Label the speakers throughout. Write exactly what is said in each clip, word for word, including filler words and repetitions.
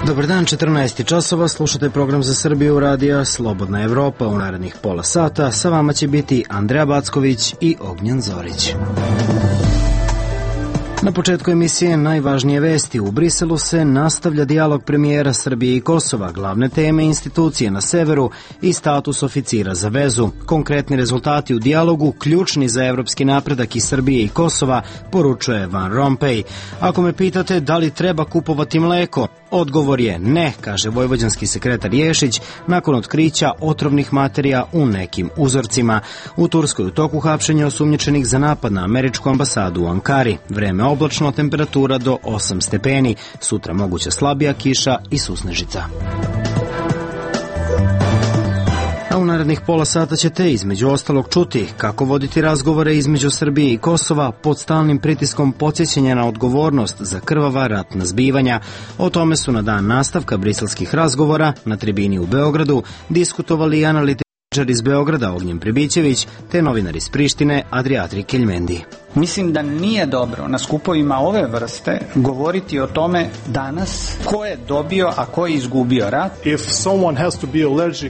Speaker 1: Dobar dan, četrnaest časova, slušate program za Srbiju radija Slobodna Evropa. U narednih pola sata sa vama će biti Andreja Backović i Ognjen Zorić. Na početku emisije najvažnije vesti. U Briselu se nastavlja dijalog premijera Srbije i Kosova, glavne teme institucije na severu i status oficira za vezu. Konkretni rezultati u dijalogu, ključni za evropski napredak i Srbije i Kosova, poručuje Van Rompuy. Ako me pitate da li treba kupovati mleko, odgovor je ne, kaže vojvođanski sekretar Ješić nakon otkrića otrovnih materija u nekim uzorcima. U Turskoj u toku hapšenja osumnjičenih za napad na američku ambasadu u Ankari. Vreme oblačno, temperatura do osam stepeni. Sutra moguća slabija kiša i susnežica. A u narednih pola sata ćete između ostalog čuti kako voditi razgovore između Srbije i Kosova pod stalnim pritiskom podsjećanja na odgovornost za krvava ratna zbivanja. O tome su na dan nastavka briselskih razgovora na tribini u Beogradu diskutovali i analitičar iz Beograda Ognjen Pribićević te novinar iz Prištine Adriatri Keljmendi.
Speaker 2: Mislim da nije dobro na skupovima ove vrste govoriti o tome danas ko je dobio, a ko je izgubio rat.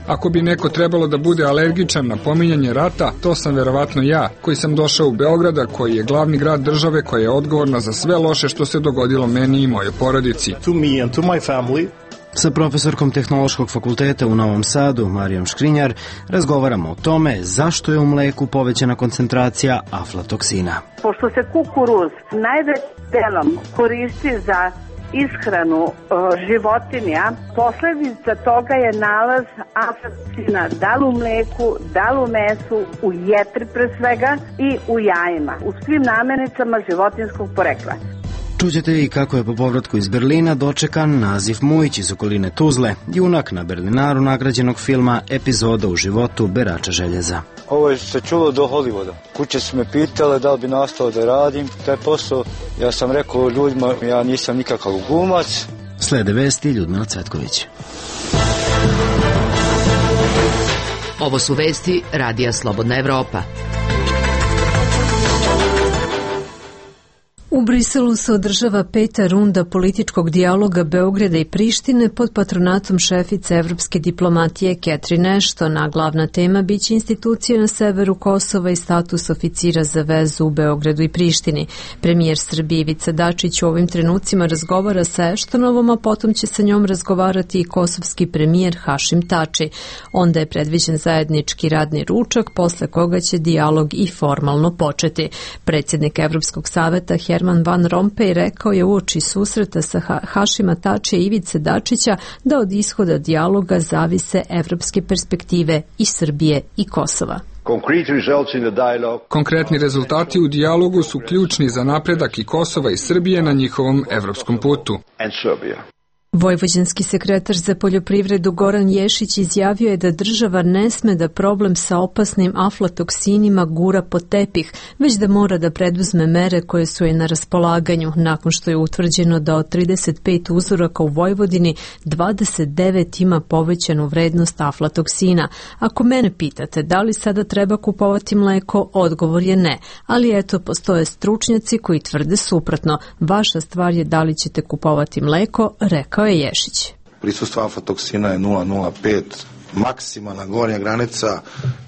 Speaker 3: Ako bi neko trebalo da bude alergičan na pominjanje rata, to sam verovatno ja, koji sam došao u Beograda, koji je glavni grad države koja je odgovorna za sve loše što se dogodilo meni i mojoj porodici.
Speaker 1: Sa profesorkom Tehnološkog fakulteta u Novom Sadu, Marijom Škrinjar, razgovaramo o tome zašto je u mleku povećana koncentracija aflatoksina.
Speaker 4: Pošto se kukuruz najvećim delom koristi za ishranu e, životinja, posljedica toga je nalaz aflatoksina da li u mleku, da li u mesu, u jetri pre svega i u jajima, u svim namirnicama životinjskog porekla.
Speaker 1: Čućete i kako je po povratku iz Berlina dočekan Nazif Mujić iz okoline Tuzle, junak na Berlinaru nagrađenog filma Epizoda u životu berača željeza.
Speaker 5: Ovo je se čulo do Hollywooda. Kuće su me pitale da li bi nastao da radim taj posao. Ja sam rekao ljudima, ja nisam nikakav glumac.
Speaker 1: Slede vesti Ljudmila Cvetković.
Speaker 6: Ovo su vesti radija Slobodna Evropa.
Speaker 7: U Briselu se održava peta runda političkog dijaloga Beograda i Prištine pod patronatom šefice evropske diplomatije Catherine Ashton, a glavna tema biće institucije na severu Kosova i status oficira za vezu u Beogradu i Prištini. Premijer Srbije Ivica Dačić u ovim trenucima razgovara sa Ashtonovom, a potom će sa njom razgovarati i kosovski premijer Hašim Tači. Onda je predviđen zajednički radni ručak, posle koga će dijalog i formalno početi. Predsjednik Evropskog saveta Herman Van Rompuy rekao je uoči susreta sa Hašima Tačija i Ivice Dačića da od ishoda dijaloga zavise evropske perspektive i Srbije i Kosova.
Speaker 3: Konkretni rezultati u dijalogu su ključni za napredak i Kosova i Srbije na njihovom evropskom putu.
Speaker 7: Vojvođanski sekretar za poljoprivredu Goran Ješić izjavio je da država ne sme da problem sa opasnim aflatoksinima gura pod tepih, već da mora da preduzme mere koje su je na raspolaganju, nakon što je utvrđeno da od trideset pet uzoraka u Vojvodini dvadeset devet ima povećanu vrednost aflatoksina. Ako mene pitate da li sada treba kupovati mleko, odgovor je ne, ali eto postoje stručnjaci koji tvrde suprotno. Vaša stvar je da li ćete kupovati mleko, rekao je Ješić.
Speaker 8: Prisustvo aflatoksina je nula zarez nula pet, maksimalna gornja granica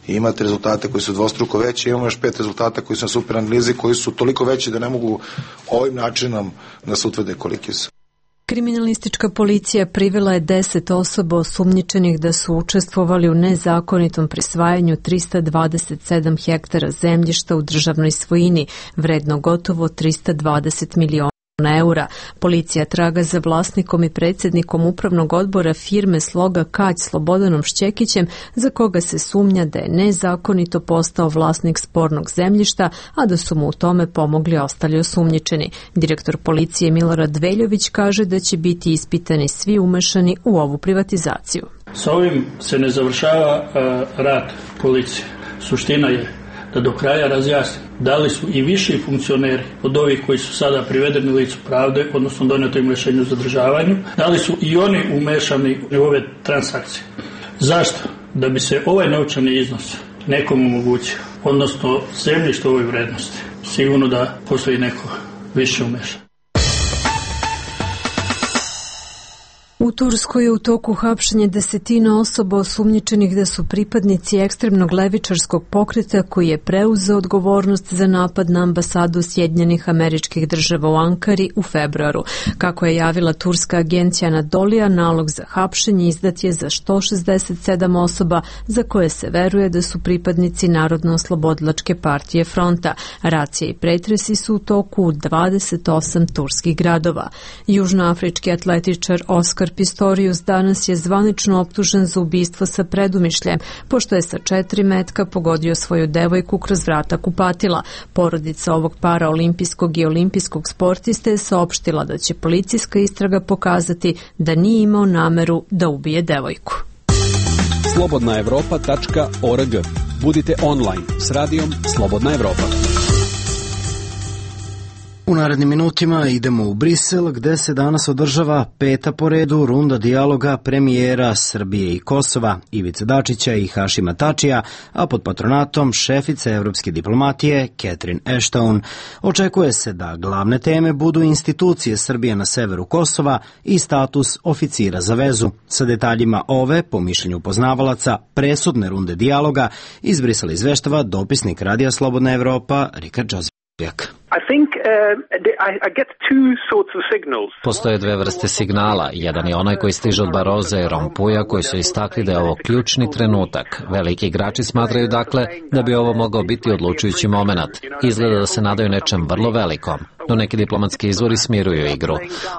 Speaker 8: i imate rezultate koji su dvostruko veći, imamo još pet rezultata koji su na super analizi koji su toliko veći da ne mogu ovim načinom da se utvrde koliki su.
Speaker 7: Kriminalistička policija privela je deset osoba osumnjičenih da su učestvovali u nezakonitom prisvajanju trista dvadeset sedam hektara zemljišta u državnoj svojini, vredno gotovo trista dvadeset miliona eura. Policija traga za vlasnikom i predsjednikom upravnog odbora firme Sloga Kać Slobodanom Šćekićem, za koga se sumnja da je nezakonito postao vlasnik spornog zemljišta, a da su mu u tome pomogli ostali osumnjičeni. Direktor policije Milorad Veljović kaže da će biti ispitani svi umešani u ovu privatizaciju.
Speaker 9: Sa ovim se ne završava uh, rad policije. Suština je da do kraja razjasni da li su i viši funkcioneri od ovih koji su sada privedeni licu pravde, odnosno doneto im rješenje o zadržavanju, da li su i oni umešani u ove transakcije. Zašto? Da bi se ovaj novčani iznos nekom omogućio, odnosno zemljište ovoj vrednosti. Sigurno da postoji neko više umešan.
Speaker 7: U Turskoj je u toku hapšenja desetina osoba osumnjičenih da su pripadnici ekstremnog levičarskog pokreta koji je preuzeo odgovornost za napad na ambasadu Sjedinjenih Američkih Država u Ankari u februaru. Kako je javila turska agencija Anadolija, nalog za hapšenje izdat je za sto šezdeset sedam osoba za koje se veruje da su pripadnici Narodno-oslobodilačke partije Fronta. Racija i pretresi su u toku u dvadeset osam turskih gradova. Južnoafrički atletičar Oskar Pistorius danas je zvanično optužen za ubistvo sa predumišljem, pošto je sa četiri metka pogodio svoju devojku kroz vrata kupatila. Porodica ovog paraolimpijskog i olimpijskog sportiste je saopštila da će policijska istraga pokazati da nije imao nameru da ubije devojku.
Speaker 10: slobodna evropa tačka org. Budite online s radijom Slobodna Evropa.
Speaker 1: U narednim minutima idemo u Brisel, gde se danas održava peta po redu runda dijaloga premijera Srbije i Kosova, Ivice Dačića i Hašima Tačija, a pod patronatom šefice evropske diplomatije Catherine Ashton. Očekuje se da glavne teme budu institucije Srbije na severu Kosova i status oficira za vezu. Sa detaljima ove, po mišljenju poznavalaca, presudne runde dijaloga, iz Brisela izveštava dopisnik Radija Slobodna Evropa Richard Joseph.
Speaker 11: Postoje dve vrste signala. Jedan je onaj koji stiže od Baroza i Rompuja, koji su istakli da je ovo ključni trenutak. Veliki igrači smatraju dakle da bi ovo mogao biti odlučujući moment. Izgleda da se nadaju nečem vrlo velikom, no neki diplomatski izvori smiruju igru.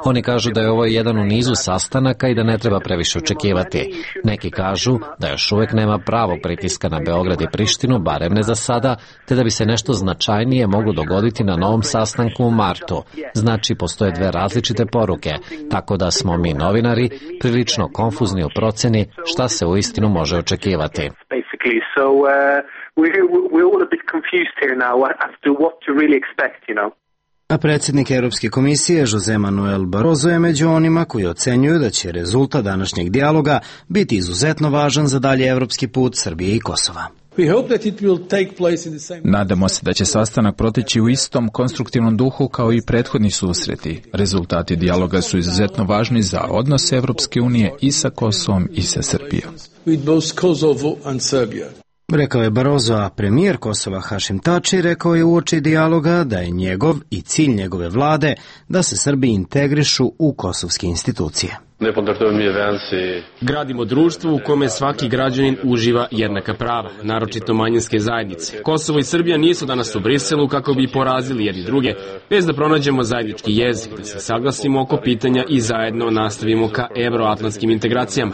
Speaker 11: Oni kažu da je ovo jedan u nizu sastanaka i da ne treba previše očekivati. Neki kažu da još uvek nema pravog pritiska na Beograd i Prištinu, barem ne za sada, te da bi se nešto značajnije moglo dogoditi na novom sastanku u martu. Znači, postoje dve različite poruke, tako da smo mi novinari prilično konfuzni u proceni šta se uistinu može očekivati.
Speaker 1: A predsjednik Europske komisije Jose Manuel Barroso je među onima koji ocenjuju da će rezultat današnjeg dijaloga biti izuzetno važan za dalje evropski put Srbije i Kosova.
Speaker 12: Nadamo se da će sastanak proteći u istom konstruktivnom duhu kao i prethodni susreti. Rezultati dijaloga su izuzetno važni za odnose Evropske unije i sa Kosovom i sa Srbijom.
Speaker 1: Rekao je Barroso, a premijer Kosova Hašim Tači rekao je uoči dijaloga da je njegov i cilj njegove vlade da se Srbi integrišu u kosovske institucije.
Speaker 13: Gradimo društvo u kome svaki građanin uživa jednaka prava, naročito manjinske zajednice. Kosovo i Srbija nisu danas u Briselu kako bi porazili jedni druge, bez da pronađemo zajednički jezik, da se saglasimo oko pitanja i zajedno nastavimo ka evroatlantskim integracijama.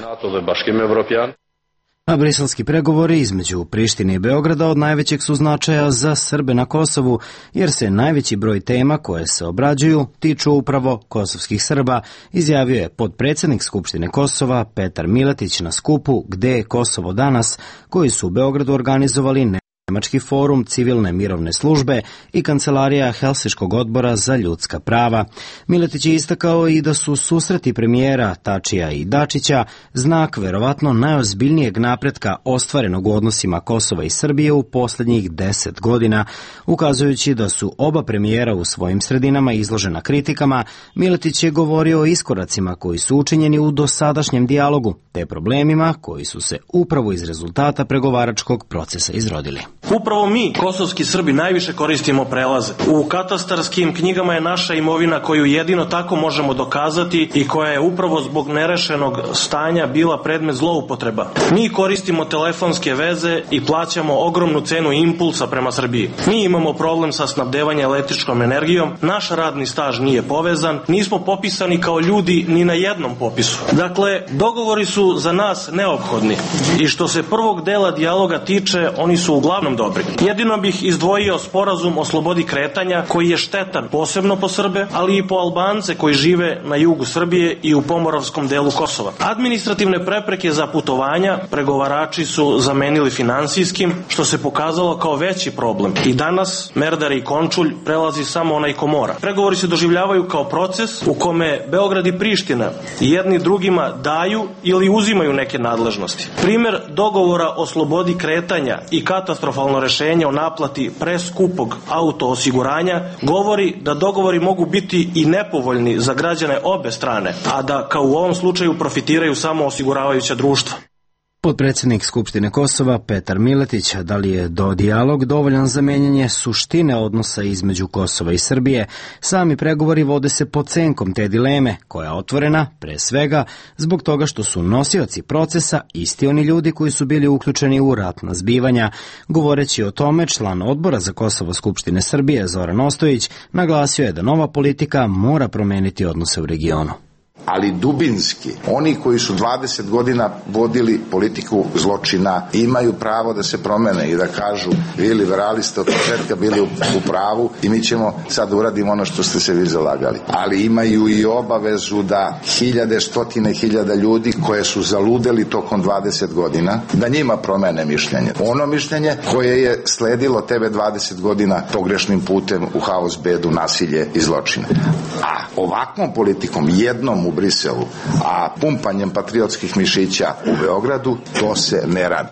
Speaker 1: A briselski pregovori između Prištine i Beograda od najvećeg su značaja za Srbe na Kosovu, jer se najveći broj tema koje se obrađuju tiču upravo kosovskih Srba, izjavio je potpredsjednik Skupštine Kosova Petar Miletić na skupu Gde je Kosovo danas, koji su u Beogradu organizovali Nemački forum civilne mirovne službe i kancelarija Helsinškog odbora za ljudska prava. Miletić je istakao i da su susreti premijera Tačija i Dačića znak verovatno najozbiljnijeg napretka ostvarenog u odnosima Kosova i Srbije u posljednjih deset godina. Ukazujući da su oba premijera u svojim sredinama izložena kritikama, Miletić je govorio o iskoracima koji su učinjeni u dosadašnjem dijalogu, te problemima koji su se upravo iz rezultata pregovaračkog procesa izrodili.
Speaker 14: Upravo mi, kosovski Srbi, najviše koristimo prelaze. U katastarskim knjigama je naša imovina koju jedino tako možemo dokazati i koja je upravo zbog nerešenog stanja bila predmet zloupotreba. Mi koristimo telefonske veze i plaćamo ogromnu cenu impulsa prema Srbiji. Mi imamo problem sa snabdevanjem električnom energijom, naš radni staž nije povezan, nismo popisani kao ljudi ni na jednom popisu. Dakle, dogovori su za nas neophodni i što se prvog dela dijaloga tiče, oni su uglavnom dobri. Jedino bih izdvojio sporazum o slobodi kretanja koji je štetan posebno po Srbe, ali i po Albance koji žive na jugu Srbije i u pomoravskom delu Kosova. Administrativne prepreke za putovanja pregovarači su zamenili finansijskim, što se pokazalo kao veći problem. I danas Merdare i Končulj prelazi samo onaj ko mora. Pregovori se doživljavaju kao proces u kome Beograd i Priština jedni drugima daju ili uzimaju neke nadležnosti. Primer dogovora o slobodi kretanja i katastrofalnog eventualno rešenje o naplati preskupog auto osiguranja govori da dogovori mogu biti i nepovoljni za građane obe strane, a da kao u ovom slučaju profitiraju samo osiguravajuća društva.
Speaker 1: Potpredsjednik Skupštine Kosova Petar Miletić, da li je do dijalog dovoljan za menjanje suštine odnosa između Kosova i Srbije, sami pregovori vode se pod senkom te dileme, koja je otvorena, pre svega, zbog toga što su nosioci procesa isti oni ljudi koji su bili uključeni u ratna zbivanja. Govoreći o tome, član odbora za Kosovo Skupštine Srbije Zoran Ostojić naglasio je da nova politika mora promeniti odnose u regionu.
Speaker 15: Ali dubinski, oni koji su dvadeset godina vodili politiku zločina imaju pravo da se promene i da kažu vi liberali ste od početka bili u, u pravu i mi ćemo sad uradimo ono što ste se vi zalagali. Ali imaju i obavezu da hiljade, stotine hiljada ljudi koje su zaludeli tokom dvadeset godina, da njima promene mišljenje. Ono mišljenje koje je sledilo tebe dvadeset godina pogrešnim putem u haos, bedu, nasilje i zločine. A ovakvom politikom, jednom u Briselu, a pumpanjem patriotskih mišića u Beogradu, to se ne radi.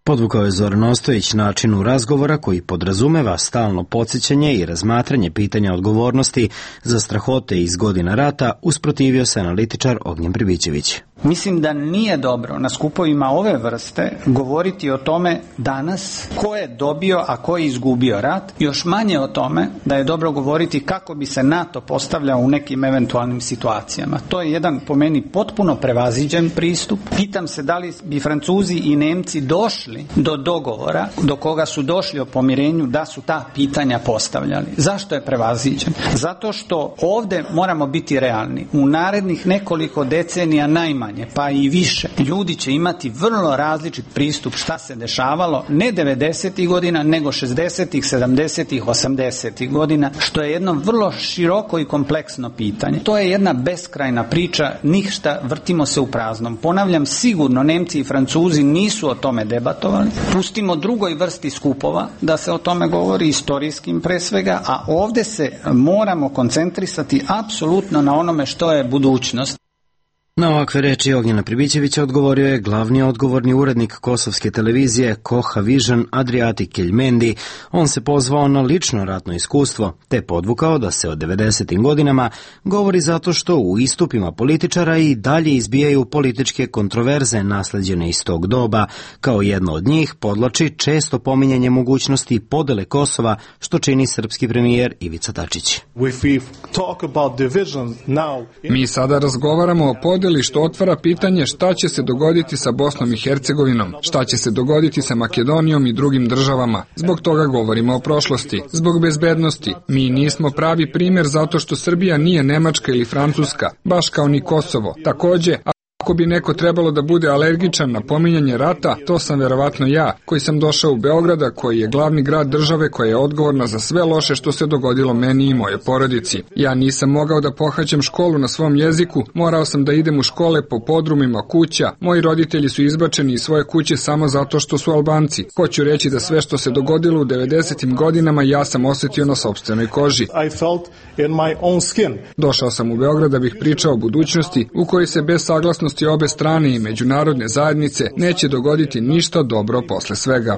Speaker 1: Podvukao je Zoran Ostojić načinu razgovora koji podrazumeva stalno podsjećanje i razmatranje pitanja odgovornosti za strahote iz godina rata, usprotivio se analitičar Ognjen Pribićević.
Speaker 2: Mislim da nije dobro na skupovima ove vrste govoriti o tome danas ko je dobio, a ko je izgubio rat. Još manje o tome da je dobro govoriti kako bi se NATO postavljao u nekim eventualnim situacijama. To je jedan po meni potpuno prevaziđen pristup. Pitam se da li bi Francuzi i Nemci došli do dogovora do koga su došli o pomirenju da su ta pitanja postavljali. Zašto je prevaziđen? Zato što ovde moramo biti realni. U narednih nekoliko decenija najmanje pa i više. Ljudi će imati vrlo različit pristup šta se dešavalo ne devedesetih godina, nego šezdesetih, sedamdesetih, osamdesetih godina, što je jedno vrlo široko i kompleksno pitanje. To je jedna beskrajna priča, ništa, vrtimo se u praznom. Ponavljam, sigurno Nemci i Francuzi nisu o tome debatovali. Pustimo drugoj vrsti skupova da se o tome govori, istorijskim pre svega, a ovde se moramo koncentrisati apsolutno na onome što je budućnost.
Speaker 1: Na ovakve reči Ognjena Pribićevića odgovorio je glavni odgovorni urednik kosovske televizije Koha Vision Adriati Keljmendi. On se pozvao na lično ratno iskustvo, te podvukao da se od devedesetim godinama govori zato što u istupima političara i dalje izbijaju političke kontroverze nasleđene iz tog doba. Kao jedno od njih podlači često pominjanje mogućnosti podele Kosova, što čini srpski premijer Ivica Dačić.
Speaker 3: Mi sada razgovaramo o podeli, što otvara pitanje šta će se dogoditi sa Bosnom i Hercegovinom, šta će se dogoditi sa Makedonijom i drugim državama. Zbog toga govorimo o prošlosti. Zbog bezbednosti. Mi nismo pravi primjer zato što Srbija nije Nemačka ili Francuska, baš kao ni Kosovo. Takođe, ako bi neko trebalo da bude alergičan na pominjanje rata, to sam verovatno ja, koji sam došao u Beograda, koji je glavni grad države koja je odgovorna za sve loše što se dogodilo meni i moje porodici. Ja nisam mogao da pohađam školu na svom jeziku, morao sam da idem u škole po podrumima kuća, moji roditelji su izbačeni iz svoje kuće samo zato što su Albanci. Hoću reći da sve što se dogodilo u devedesetim godinama ja sam osetio na sopstvenoj koži. Došao sam u Beograd da bih pričao o budućnosti u kojoj se bez saglasnosti obe strane i međunarodne zajednice neće dogoditi ništa dobro posle svega.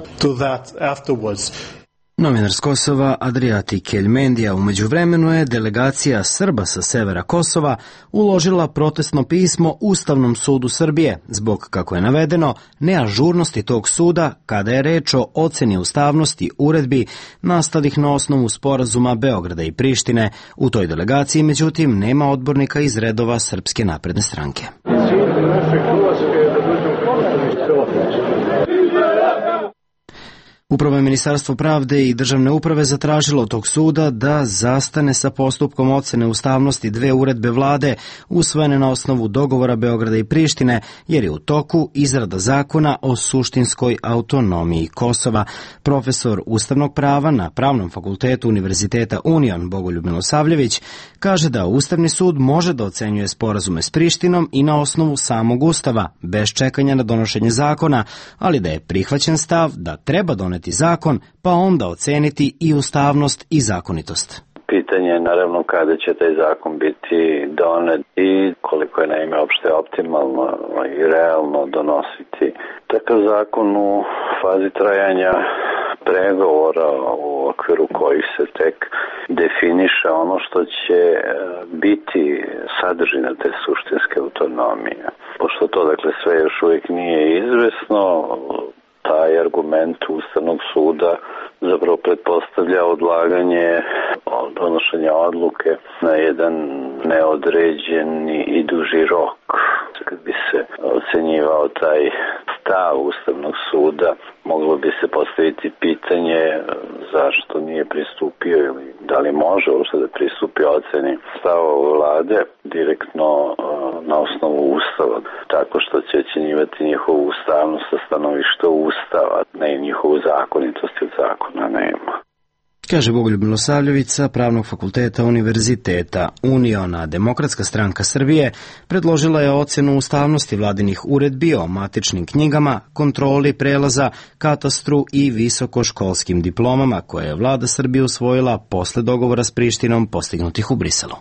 Speaker 1: Novinar s Kosova Adriati Keljmendija. Umeđu vremenu je delegacija Srba sa severa Kosova uložila protestno pismo Ustavnom sudu Srbije zbog, kako je navedeno, neažurnosti tog suda kada je reč o oceni ustavnosti uredbi nastalih na osnovu sporazuma Beograda i Prištine. U toj delegaciji, međutim, nema odbornika iz redova Srpske napredne stranke. Upravo je Ministarstvo pravde i državne uprave zatražilo od tog suda da zastane sa postupkom ocene ustavnosti dve uredbe vlade usvojene na osnovu dogovora Beograda i Prištine, jer je u toku izrada zakona o suštinskoj autonomiji Kosova. Profesor ustavnog prava na Pravnom fakultetu Univerziteta Union Bogoljub Milosavljević kaže da Ustavni sud može da ocenjuje sporazume s Prištinom i na osnovu samog Ustava, bez čekanja na donošenje zakona, ali da je prihvaćen stav da treba doneti zakon, pa onda oceniti i ustavnost i zakonitost.
Speaker 16: Pitanje je naravno kada će taj zakon biti donet i koliko je naime opšte optimalno i realno donositi. Takav zakon u fazi trajanja pregovora u okviru kojih se tek definiše ono što će biti sadržina te suštinske autonomije. Pošto to, dakle, sve još uvijek nije izvesno, taj argument Ustavnog suda zapravo pretpostavlja odlaganje donošenja odluke na jedan neodređeni i duži rok. Kad bi se ocenjivao taj stav Ustavnog suda, moglo bi se postaviti pitanje zašto nije pristupio ili da li može uopšte da pristupi oceni stavova vlade direktno na osnovu Ustava, tako što će ocenjivati njihovu ustavnost sa stanovišta Ustava, ne i njihovu zakonitost, jer zakona nema.
Speaker 1: Kaže Bogoljub Milosavljević sa Pravnog fakulteta Univerziteta. Uniona demokratska stranka Srbije predložila je ocenu ustavnosti vladinih uredbi o matičnim knjigama, kontroli prelaza, katastru i visokoškolskim diplomama koje je vlada Srbije usvojila posle dogovora s Prištinom postignutih u Briselu.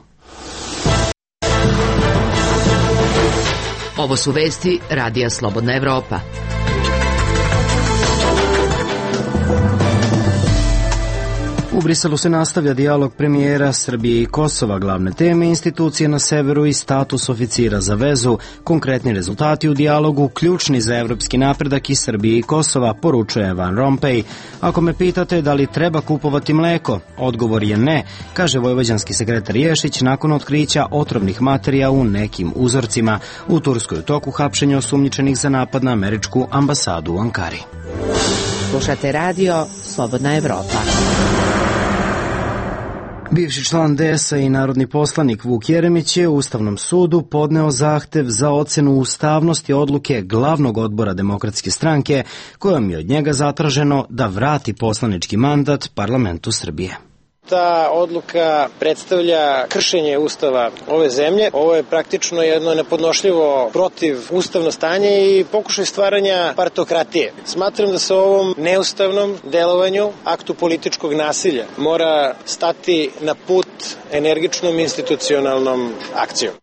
Speaker 6: Ovo su vesti Radija Slobodna Evropa.
Speaker 1: U Briselu se nastavlja dijalog premijera Srbije i Kosova, glavne teme institucije na severu i status oficira za vezu. Konkretni rezultati u dijalogu ključni za evropski napredak i Srbije i Kosova, poručuje Van Rompuy. Ako me pitate da li treba kupovati mleko, odgovor je ne, kaže vojvođanski sekretar Ješić nakon otkrića otrovnih materija u nekim uzorcima. U Turskoj u toku hapšenja osumnjičenih za napad na američku ambasadu u Ankari.
Speaker 6: Slušate radio Slobodna Evropa.
Speaker 1: Bivši član D S A i narodni poslanik Vuk Jeremić je u Ustavnom sudu podneo zahtev za ocenu ustavnosti odluke glavnog odbora Demokratske stranke, kojom je od njega zatraženo da vrati poslanički mandat parlamentu Srbije.
Speaker 17: Ta odluka predstavlja kršenje Ustava ove zemlje. Ovo je praktično jedno nepodnošljivo protiv ustavno stanje i pokušaj stvaranja partokratije. Smatram da se ovom neustavnom delovanju, aktu političkog nasilja, mora stati na put energičnom institucionalnom akcijom.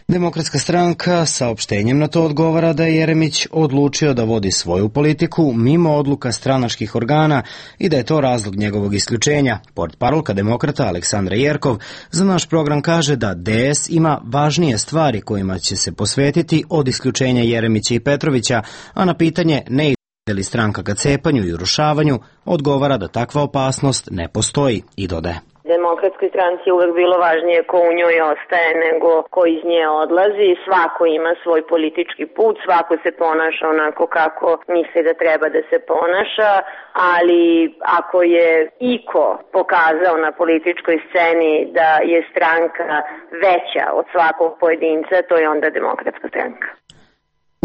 Speaker 1: Demokratska stranka saopštenjem na to odgovara da je Jeremić odlučio da vodi svoju politiku mimo odluka stranačkih organa i da je to razlog njegovog isključenja. Portparolka demokrata Aleksandra Jerkov za naš program kaže da D S ima važnije stvari kojima će se posvetiti od isključenja Jeremića i Petrovića, a na pitanje ne ide li stranka ka cepanju i urušavanju odgovara da takva opasnost ne postoji i dodaje.
Speaker 18: Demokratskoj stranci je uvek bilo važnije ko u njoj ostaje nego ko iz nje odlazi. Svako ima svoj politički put, svako se ponaša onako kako misli da treba da se ponaša, ali ako je iko pokazao na političkoj sceni da je stranka veća od svakog pojedinca, to je onda Demokratska stranka.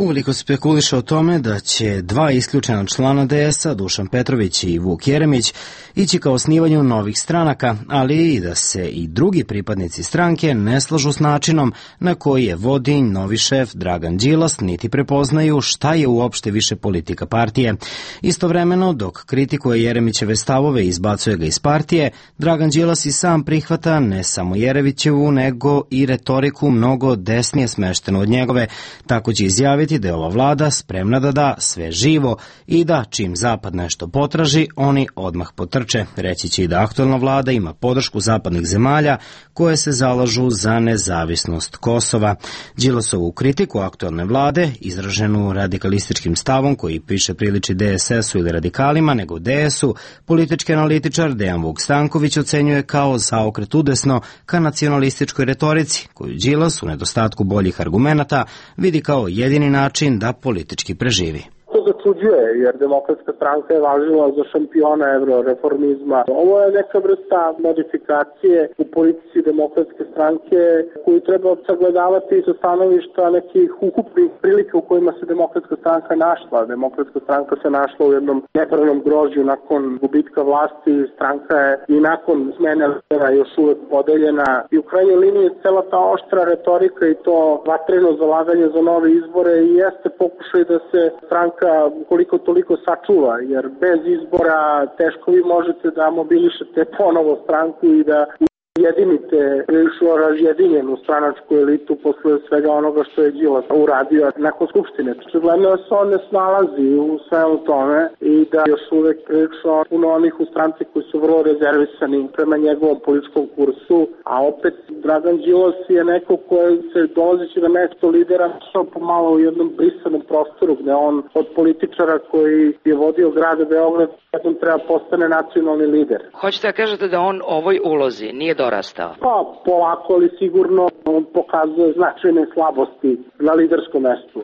Speaker 1: Uveliko spekuliše o tome da će dva isključena člana D S A, Dušan Petrović i Vuk Jeremić, ići ka osnivanju novih stranaka, ali i da se i drugi pripadnici stranke ne slažu s načinom na koji je vodi novi šef Dragan Đilas, niti prepoznaju šta je uopšte više politika partije. Istovremeno, dok kritikuje Jeremićeve stavove i izbacuje ga iz partije, Dragan Đilas i sam prihvata ne samo Jeremićevu, nego i retoriku mnogo desnije smeštenu od njegove. Tako će izjaviti da je ova vlada spremna da da sve živo i da čim Zapad nešto potraži, oni odmah potrče. Reći će i da aktuelna vlada ima podršku zapadnih zemalja koje se zalažu za nezavisnost Kosova. Đilasovu kritiku aktuelne vlade, izraženu radikalističkim stavom koji piše priliči D S S-u ili radikalima nego D S-u, politički analitičar Dejan Vuk Stanković ocenjuje kao zaokret udesno ka nacionalističkoj retorici, koju Đilas u nedostatku boljih argumenata vidi kao jedini način da politički preživi.
Speaker 19: To začuđuje, jer Demokratska stranka je važila za šampiona euroreformizma. Ovo je neka vrsta modifikacije u politici Demokratske stranke koju treba sagledavati sa stanovišta nekih ukupnih prilika u kojima se Demokratska stranka našla. Demokratska stranka se našla u jednom nepravnom grožđu nakon gubitka vlasti. Stranka je i nakon smene lidera još uvek podeljena. I u krajnjoj liniji cela ta oštra retorika i to vatreno zalaganje za nove izbore i jeste pokušaj da se stranka koliko toliko sačuva, jer bez izbora teško vi možete da mobilišete ponovo stranku i da jedinite prilično razjedinjenu stranačku elitu posle svega onoga što je Đilas uradio nakon Skupštine. Očigledno je se on ne snalazi u svemu tome i da još uvek prilično puno onih u stranci koji su vrlo rezervisani prema njegovom političkom kursu, a opet Dragan Đilas je neko koji se dolazeći na mesto lidera našao pomalo u jednom brisanom prostoru gde on od političara koji je vodio grad Beograd jednom treba postane nacionalni lider.
Speaker 20: Hoćete da kažete da on ovoj ulozi nije dorastao?
Speaker 19: Pa polako, ali sigurno on pokazuje značajne slabosti na liderskom mestu.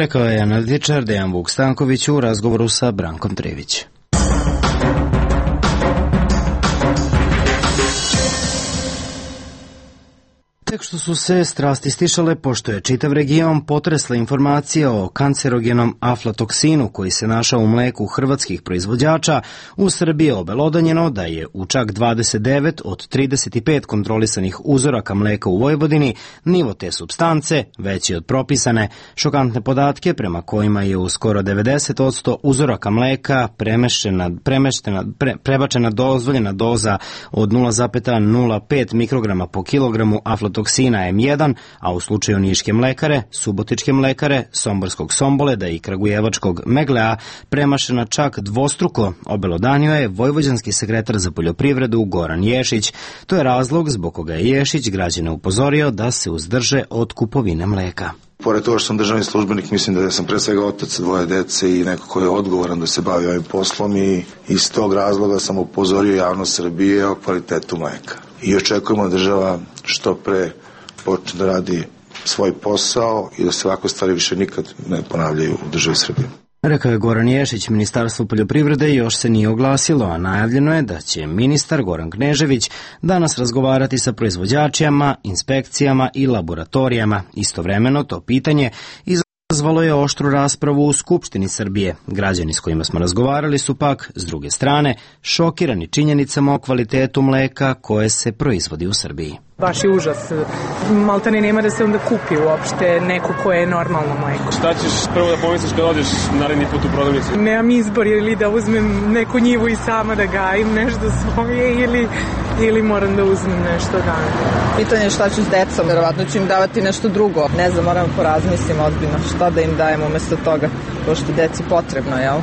Speaker 1: Rekao je analitičar Dejan Vuk Stanković u razgovoru sa Brankom Trivić. Tek što su se strasti stišale, pošto je čitav region potresla informacija o kancerogenom aflatoksinu koji se našao u mleku hrvatskih proizvođača, u Srbiji je obelodanjeno da je u čak dvadeset devet od trideset pet kontrolisanih uzoraka mleka u Vojvodini nivo te supstance veći od propisane. Šokantne podatke prema kojima je u skoro devedeset posto uzoraka mleka premešćena, premešćena, pre, prebačena dozvoljena doza od nula zarez nula pet mikrograma po kilogramu aflatoksina toksina em jedan, a u slučaju Niške mlekare, Subotičke mlekare, Somborskog Somboleda i Kragujevačkog Meglea premašena čak dvostruko, obelodanio je vojvođanski sekretar za poljoprivredu Goran Ješić. To je razlog zbog koga je Ješić građane upozorio da se uzdrže od kupovine mleka.
Speaker 8: Pored toga što sam državni službenik, mislim da sam pre svega otac dvoje dece i neko ko je odgovoran da se bavi ovim poslom i iz tog razloga sam upozorio javnost Srbije o kvalitetu mleka. I očekujemo da država što pre počne da radi svoj posao i da se ovakve stvari više nikad ne ponavljaju u državi Srbije.
Speaker 1: Rekao je Goran Ješić. Ministarstvo poljoprivrede još se nije oglasilo, a najavljeno je da će ministar Goran Knežević danas razgovarati sa proizvođačima, inspekcijama i laboratorijama. Istovremeno to pitanje izazvalo je oštru raspravu u Skupštini Srbije. Građani s kojima smo razgovarali su pak, s druge strane, šokirani činjenicama o kvalitetu mleka koje se proizvodi u Srbiji.
Speaker 21: Baš je užas. Maltene nema da se onda kupi uopšte neko koje je normalno mleko.
Speaker 13: Šta ćeš prvo da pomisliš kad odeš naredni put u prodavnicu?
Speaker 21: Nemam izbor ili da uzmem neku njivu i sama da gajim nešto svoje ili, ili moram da uzmem nešto dane.
Speaker 22: Pitanje je šta ću s decom, verovatno ću im davati nešto drugo. Ne znam, moram porazmislim ozbiljno šta da im dajem umesto toga, pošto deci potrebno, jel?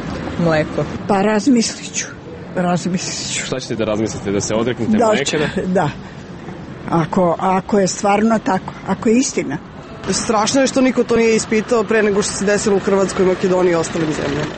Speaker 22: Mleko.
Speaker 23: Pa razmislit ću. Razmislit ću.
Speaker 13: Šta ćete da razmislite, da se odreknete
Speaker 23: da,
Speaker 13: mleka?
Speaker 23: Da, da. Ako, ako je stvarno tako, ako je istina.
Speaker 24: Strašno je što niko to nije ispitao pre nego što se desilo u Hrvatskoj, Makedoniji i ostalim zemljama.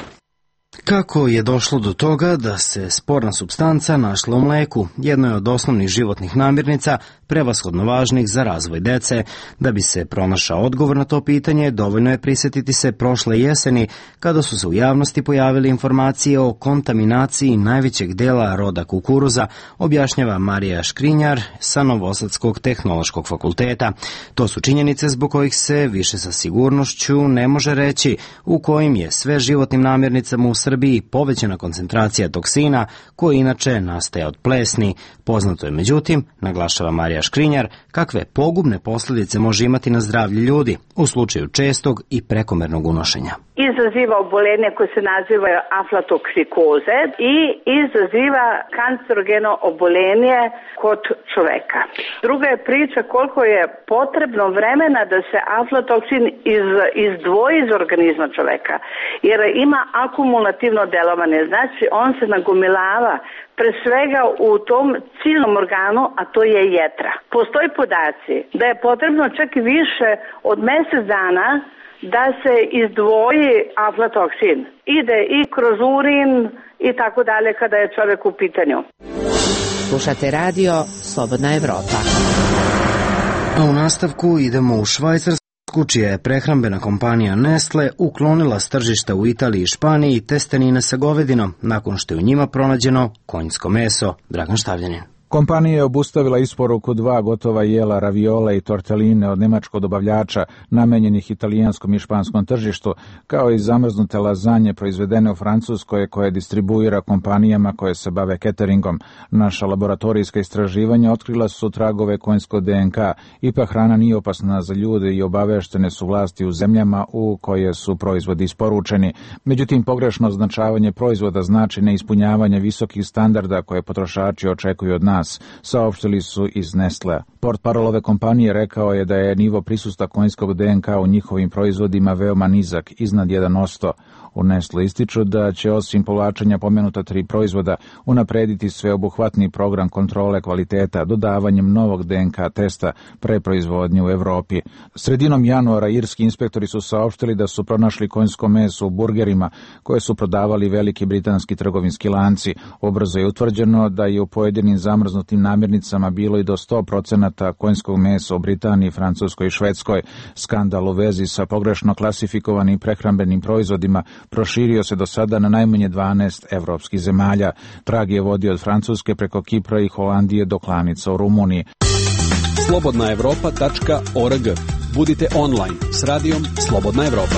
Speaker 1: Kako je došlo do toga da se sporna supstanca našla u mleku, jedno je od osnovnih životnih namirnica, prevashodno važnih za razvoj dece. Da bi se pronašao odgovor na to pitanje, dovoljno je prisjetiti se prošle jeseni, kada su se u javnosti pojavile informacije o kontaminaciji najvećeg dela roda kukuruza, objašnjava Marija Škrinjar sa Novosadskog tehnološkog fakulteta. To su činjenice zbog kojih se više sa sigurnošću ne može reći u kojim je sve životnim namirnicama u Srbiji povećana koncentracija toksina, koji inače nastaje od plesni. Poznato je, međutim, naglašava Marija Škrinjar, kakve pogubne posljedice može imati na zdravlje ljudi u slučaju čestog i prekomernog unošenja.
Speaker 4: Izaziva obolenje koje se naziva aflatoksikoze i izaziva kancerogeno obolenje kod čoveka. Druga je priča koliko je potrebno vremena da se aflatoksin iz, izdvoji iz organizma čoveka, jer ima akumulativno delovanje, znači on se nagomilava pre svega u tom ciljnom organu, a to je jetra. Postoji podaci da je potrebno čak i više od mesec dana da se izdvoji aflatoksin. Ide i kroz urin i tako dalje kada je čovjek u pitanju.
Speaker 6: Slušate radio Slobodna Evropa.
Speaker 1: A u nastavku idemo u Švajcarsku, čija je prehrambena kompanija Nestle uklonila s tržišta u Italiji i Španiji testenine sa govedinom, nakon što je u njima pronađeno konjsko meso. Dragan Štavljanin.
Speaker 25: Kompanija je obustavila isporuku dva gotova jela raviole i torteline od nemačkog dobavljača namenjenih italijanskom i španskom tržištu, kao i zamrznute lazanje proizvedene u Francuskoj koje distribuira kompanijama koje se bave cateringom. Naša laboratorijska istraživanja otkrila su tragove konjskog de en ka. Ipak hrana nije opasna za ljude i obaveštene su vlasti u zemljama u koje su proizvodi isporučeni. Međutim, pogrešno označavanje proizvoda znači neispunjavanje visokih standarda koje potrošači očekuju od nas. nas, saopštili su iz Nestlea. Portparol ove kompanije rekao je da je nivo prisustva konjskog D N K u njihovim proizvodima veoma nizak, iznad jedan posto. U Nestle ističu da će osim povlačenja pomenuta tri proizvoda unaprediti sveobuhvatni program kontrole kvaliteta dodavanjem novog D N K testa pre proizvodnje u Evropi. Sredinom januara irski inspektori su saopštili da su pronašli konjsko meso u burgerima koje su prodavali veliki britanski trgovinski lanci. Ubrzo je utvrđeno da je u pojedinim zamrznutim namirnicama bilo i do sto procenata konjskog mesa u Britaniji, Francuskoj i Švedskoj. Skandal u vezi sa pogrešno klasifikovanim prehrambenim proizvodima proširio se do sada na najmanje dvanaest evropskih zemalja. Trag je vodio od Francuske preko Kipra i Holandije do klanica u Rumuniji.
Speaker 5: slobodna evropa tačka org. Budite online s radijom Slobodna Evropa.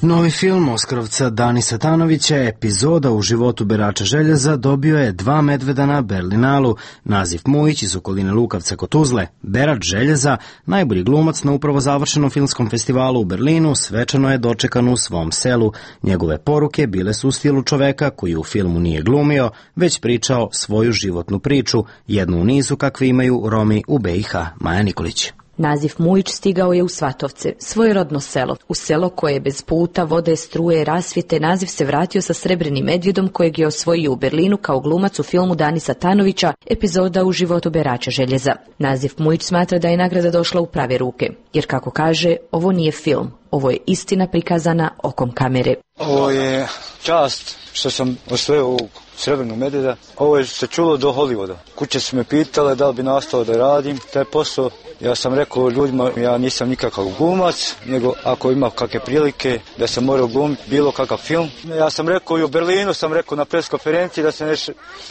Speaker 1: Novi film Oskarovca Danisa Tanovića, Epizoda u životu berača željeza, dobio je dva medveda na Berlinalu. Nazif Mujić iz okoline Lukavca kod Tuzle, berač željeza, najbolji glumac na upravo završenom filmskom festivalu u Berlinu, svečano je dočekan u svom selu. Njegove poruke bile su u stilu čoveka koji u filmu nije glumio, već pričao svoju životnu priču, jednu u nizu kakve imaju Romi u B i H. Maja Nikolić.
Speaker 7: Nazif Mujić stigao je u Svatovce, svoje rodno selo. U selo koje je bez puta, vode, struje, rasvjete, Nazif se vratio sa srebrnim medvjedom kojeg je osvojio u Berlinu kao glumac u filmu Danisa Tanovića, Epizoda u životu berača željeza. Nazif Mujić smatra da je nagrada došla u prave ruke, jer kako kaže, ovo nije film, ovo je istina prikazana okom kamere.
Speaker 9: Ovo je čast što sam osvojio ovog srebrnog medvjeda. Ovo je se čulo do Hollywooda. Kuće su me pitale da li bi nastao da radim taj posao. Ja sam rekao ljudima, ja nisam nikakav glumac, nego ako ima kakve prilike da sam morao glumiti bilo kakav film. Ja sam rekao i u Berlinu, sam rekao na pres konferenciji da se ne...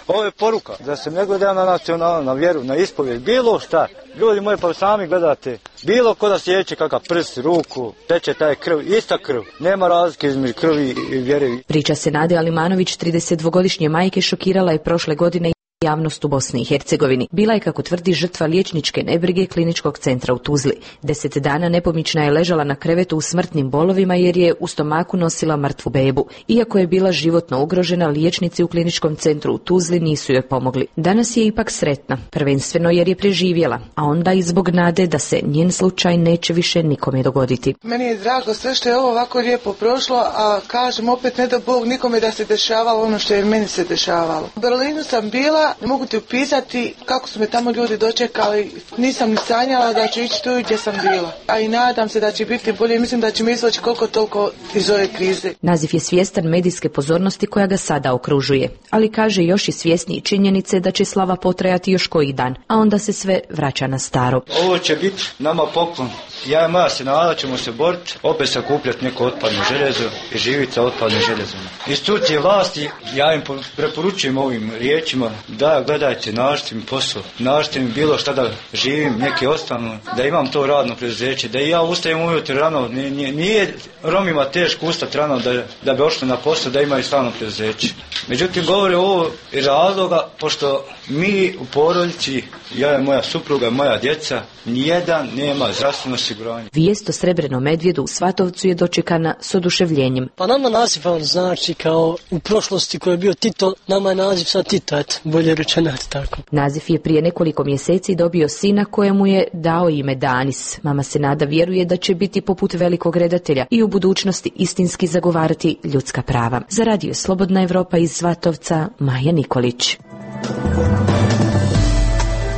Speaker 9: Ovo je poruka, da se ne gleda na nacionalnu, na vjeru, na ispovijed, bilo šta. Ljudi moji, pa sami gledate, bilo ko da sjeće kakav prst, ruku, teče taj krv, ista krv. Nema razlike između krvi i vjere.
Speaker 7: Priča se Nade Alimanović, tridesetdvogodišnje majke, šokirala je prošle godine javnost u Bosni i Hercegovini. Bila je, kako tvrdi, žrtva liječničke nebrige kliničkog centra u Tuzli. Deset dana nepomična je ležala na krevetu u smrtnim bolovima jer je u stomaku nosila mrtvu bebu. Iako je bila životno ugrožena, liječnici u kliničkom centru u Tuzli nisu joj pomogli. Danas je ipak sretna, prvenstveno jer je preživjela, a onda i zbog nade da se njen slučaj neće više nikome dogoditi.
Speaker 10: Meni je drago sve što je ovo ovako lijepo prošlo, a kažem opet ne da Bog nikome da se dešavalo ono što je meni se dešavalo. U Berlinu sam bila, ne mogu ti upisati kako su me tamo ljudi dočekali. Nisam ni sanjala da ću ići tu gdje sam bila. A i nadam se da će biti bolje. Mislim da će me izvući koliko toliko iz ove krize.
Speaker 7: Nazif je svjestan medijske pozornosti koja ga sada okružuje. Ali kaže još i svjesniji činjenice da će slava potrajati još koji dan. A onda se sve vraća na staro.
Speaker 9: Ovo će biti nama poklon. Ja i moja sinada ćemo se boriti, opet sakupljati neko otpadno željezo i živiti sa otpadnim željezom. Institucije vlasti, ja im preporučujem ovim riječima da gledajte, nađite mi posao, nađite mi bilo šta da živim, neki ostanu, da imam to radno preduzeće, da i ja ustajem ujutro rano, nije, nije Romima teško ustati rano da, da bi ošli na posao, da imaju stalno preduzeće. Međutim, govore ovo iz razloga, pošto mi u porodici, ja i moja supruga, moja djeca, nijedan nema zdravstveno osiguranje.
Speaker 7: Vijest o srebrnom medvjedu u Svatovcu je dočekana s oduševljenjem.
Speaker 11: Pa nama naziv on znači kao u prošlosti koji je bio Tito, nama je naziv sad Tito, eto, bolje rečeno tako.
Speaker 7: Nazif je prije nekoliko mjeseci dobio sina kojemu je dao ime Danis. Mama se nada vjeruje da će biti poput velikog redatelja i u budućnosti istinski zagovarati ljudska prava. Za radio Slobodna Evropa iz Svatovca, Maja Nikolić.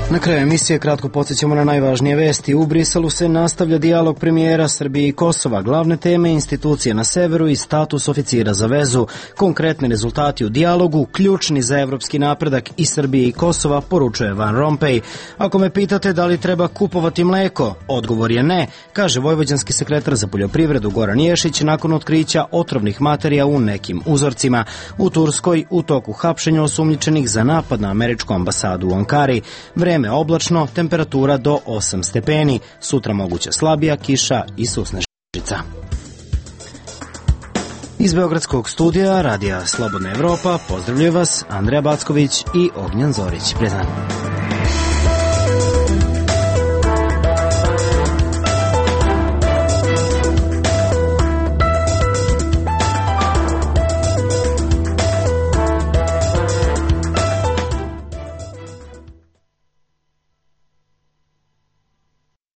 Speaker 1: Na kraju emisije kratko podsjećamo na najvažnije vesti. U Briselu se nastavlja dijalog premijera Srbije i Kosova. Glavne teme institucije na severu i status oficira za vezu. Konkretni rezultati u dijalogu, ključni za evropski napredak i Srbije i Kosova, poručuje Van Rompuy. Ako me pitate da li treba kupovati mleko, odgovor je ne, kaže vojvođanski sekretar za poljoprivredu Goran Ješić nakon otkrića otrovnih materija u nekim uzorcima. U Turskoj u toku hapšenja osumnjičenih za napad na američku ambasadu u Ankari. Vreme oblačno, temperatura do osam stepeni, sutra moguća slabija kiša i susnežica. Iz Beogradskog studija Radija Slobodna Evropa pozdravljaju vas Andreja Backović i Ognjan Zorić. Prijatno.